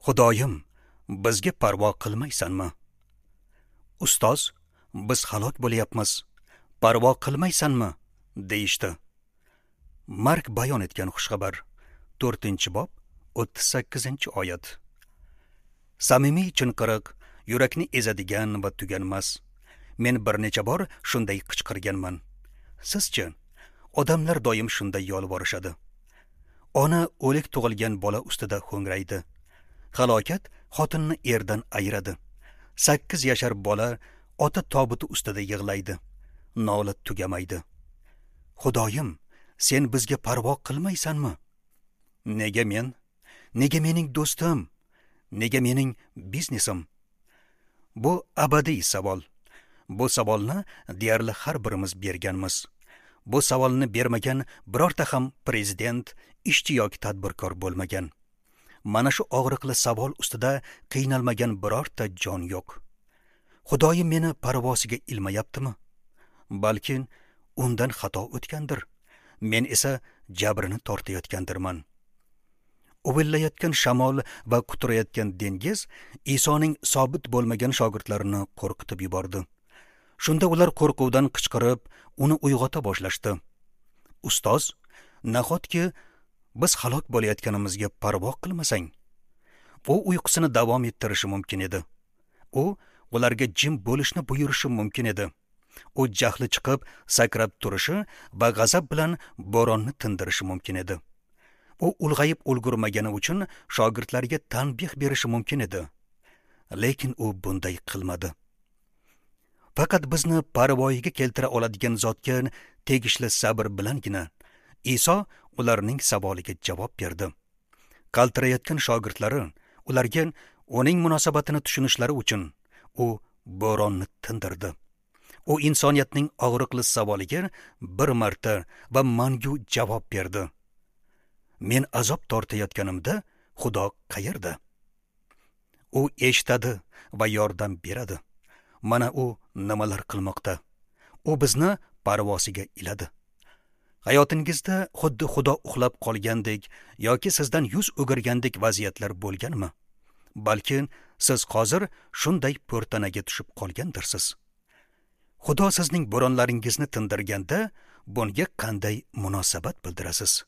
Xudoyim, bizga parvo qilmaysanmi? Ustoz, biz halok bo'lyapmiz. Parvo qilmaysanmi? Deyishdi. Mark bayon etgan xushxabar, 4-bob, 38-oyat. Samimiy chinqiriq, yurakni ezadigan va tuganmas. Men bir necha bor shunday qichqirganman. Sizchi? Odamlar doim shunday yolvorishadi. Ona o'lik tug'ilgan bola ustida ho'ngraydi. Halokat xotinni erdan ayiradi. 8 yashar bola ota tobuti ustida yig'laydi. Nola tugamaydi. Xudoyim, sen bizga parvo qilmaysanmi? Nega men? Nega mening do'stim? Nega mening biznesim? Bu abadiy savol. Bu savolni deyarli har birimiz berganmiz. Bu savolni bermagan birorta ham prezident, ishchi yoki tadbirkor bo'lmagan. Mana shu og'riqli savol ustida qiynalmagan birorta jon yo'q. Xudoyim meni parvosiga ilmayaptimi? Balki undan xato o'tgandir. Men esa jabrini tortayotgandirman. Uvillayotgan shamol va quturayotgan dengiz Isoning sobit bo'lmagan shogirdlarini qo'rqitib yubordi. Shunda ular qo'rquvdan qichqirib, uni uyg'ota boshlashdi. Ustoz, nahotki biz halok bo'layotganimizga parvo qilmasang? U uyqusini davom ettirishi mumkin edi. U ularga jim bo'lishni buyurishi mumkin edi. U jahli chiqib, sakrab turishi va g'azab bilan bo'ronni tindirishi mumkin edi. U ulg'ayib ulgurmagani uchun shogirdlarga tanbih berishi mumkin edi. Lekin u bunday qilmadi. Faqat bizni parvoyiga keltira oladigan zotga tegishli sabr bilangina Iso ularning savoliga javob berdi. Qaltirayotgan shogirdlari ularga uning munosabatini tushunishlari uchun u bo'ronni tindirdi. U insoniyatning og'riqli savoliga bir marta va mangu javob berdi. Men azob tortayotganimda Xudo qayerda? U eshitadi va yordam beradi. Mana u nimalar qilmoqda. U bizni parvosiga iladi. Hayotingizda xuddi Xudo uxlab qolgandek yoki sizdan yuz o'girgandek vaziyatlar bo'lganmi? Balki siz hozir shunday po'rtanaga tushib qolgandirsiz. Xudo sizning bo'ronlaringizni tindirganda bunga qanday munosabat bildirasiz?